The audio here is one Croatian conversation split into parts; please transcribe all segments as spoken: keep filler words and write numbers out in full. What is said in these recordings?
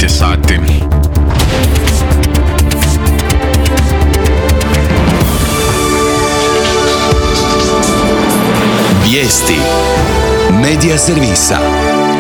devet je sati. Vijesti Medija servisa.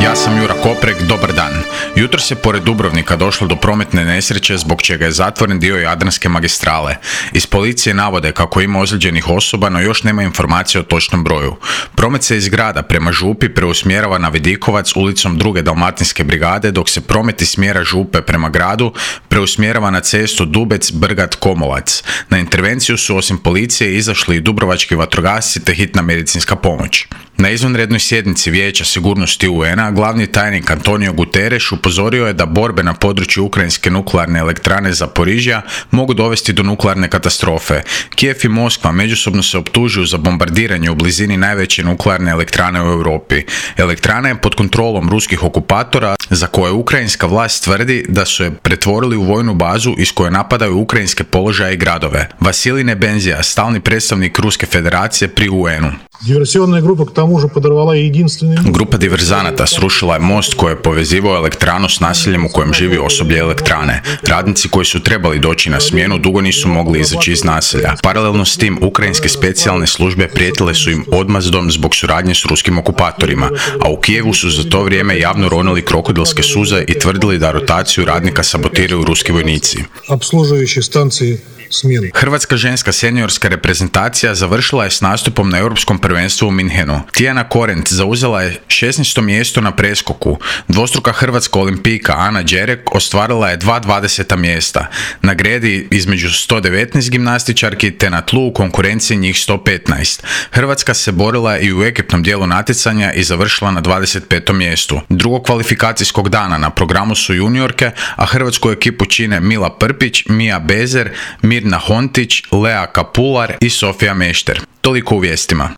Ja sam Jura Koprek, dobar dan. Jutros je pored Dubrovnika došlo do prometne nesreće zbog čega je zatvoren dio Jadranske magistrale. Iz policije navode kako ima ozlijeđenih osoba, no još nema informacije o točnom broju. Promet se iz grada prema Župi preusmjerava na Vidikovac ulicom druge Dalmatinske brigade, dok se promet iz smjera Župe prema gradu preusmjerava na cestu Dubec-Brgat-Komolac. Na intervenciju su osim policije izašli i dubrovački vatrogasci te hitna medicinska pomoć. Na izvanrednoj sjednici Vijeća sigurnosti U N-a glavni tajnik Antonio Guterres upozorio je da borbe na području ukrajinske nuklearne elektrane Zaporižja mogu dovesti do nuklearne katastrofe. Kijev i Moskva međusobno se optužuju za bombardiranje u blizini najveće nuklearne elektrane u Europi. Elektrana je pod kontrolom ruskih okupatora za koje ukrajinska vlast tvrdi da su je pretvorili u vojnu bazu iz koje napadaju ukrajinske položaje i gradove. Vasilij Nebenzija, stalni predstavnik Ruske federacije pri U N-u. Диверсионная группа к тому же подорвала единственный... Grupa diverzanata srušila je most koji je povezivao elektranu s naseljem u kojem živi osoblje elektrane. Radnici koji su trebali doći na smjenu dugo nisu mogli izaći iz naselja. Paralelno s tim, ukrajinske specijalne službe prijetile su im odmazdom zbog suradnje s ruskim okupatorima, a u Kijevu su za to vrijeme javno ronili krokodilske suze i tvrdili da rotaciju radnika sabotiraju ruski vojnici. Обслуживающие станции smjeni. Hrvatska ženska seniorska reprezentacija završila je s nastupom na Europskom prvenstvu u Minhenu. Tijana Korent zauzela je šesnaesto mjesto na preskoku. Dvostruka hrvatska olimpijka Ana Đerek ostvarila je dva dvadeseta mjesta. Na gredi između sto devetnaest gimnastičarki te na tlu u konkurenciji njih sto petnaest. Hrvatska se borila i u ekipnom dijelu natjecanja i završila na dvadeset petom mjestu. Drugog kvalifikacijskog dana na programu su juniorke, a hrvatsku ekipu čine Mila Prpić, Mija Bezer, Mirna Hontić, Lea Kapular i Sofija Mešter. Toliko u vijestima.